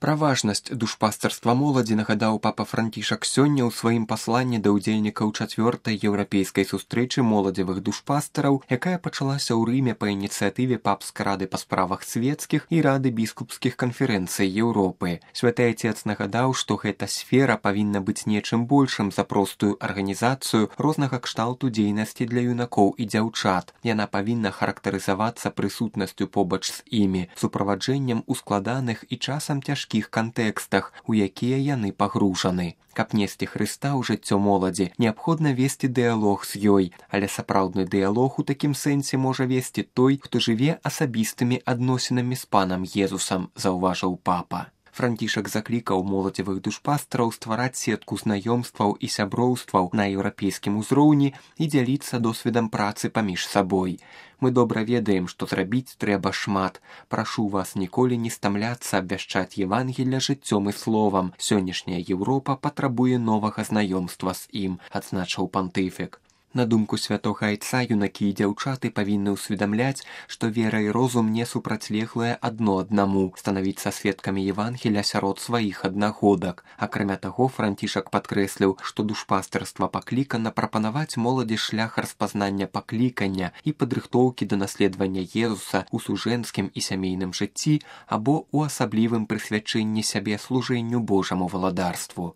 Пра важнасць душпастарства моладзі нагадаў папа Францішак сёння ў сваім пасланні да ўдзельнікаў 4-й еўрапейскай сустрэчы моладзевых душпастараў, якая пачалася ў Рыме па ініцыятыве папскай рады па справах свецкіх і рады біскупскіх канферэнцый Еўропы. Святы Айцец нагадаў, што гэта сфера павінна быць нечым большым за простую арганізацыю рознага кшталту дзейнасці для юнакоў і дзяўчат. Яна павінна характарызавацца прысутнасцю побач з імі, суправаджэннем у складаных і часам цяжкіх кантэкстах, у якія яны пагружаны. Каб несці Хрыста ў жыццё моладзі, неабходна весці дыялог з ёй, але сапраўдны дыялог у такім сэнсе можа весці той, хто жыве асабістымі адносінамі з панам Езусам, заўважыў папа. Францішак заклікаў моладзевых душпастараў ствараць сетку знаёмстваў і сяброўстваў на еўрапейскім узроўні і дзяліцца досведам працы паміж сабой. Мы добра ведаем, што зрабіць трэба шмат. Прашу вас ніколі не стамляцца абвяшчаць Евангелля жыццём і словам. Сённяшняя Еўропа патрабуе новага знаёмства з ім, адзначыў пантыфік. На думку святога Айца, юнакі і дзяўчаты павінны ўсведамляць, што вера і розум не супрацьлеглыя адно аднаму, станавіцца сведкамі Евангеля сярод сваіх аднагодак. Акрамя таго, Францішак падкрэсліў, што душпастарства паклікана прапанаваць моладзі шлях распазнання паклікання і падрыхтоўкі да наследавання Езуса ў сужэнскім і сямейным жыцці або ў асаблівым прысвячэнні сябе служэнню Божаму валадарству.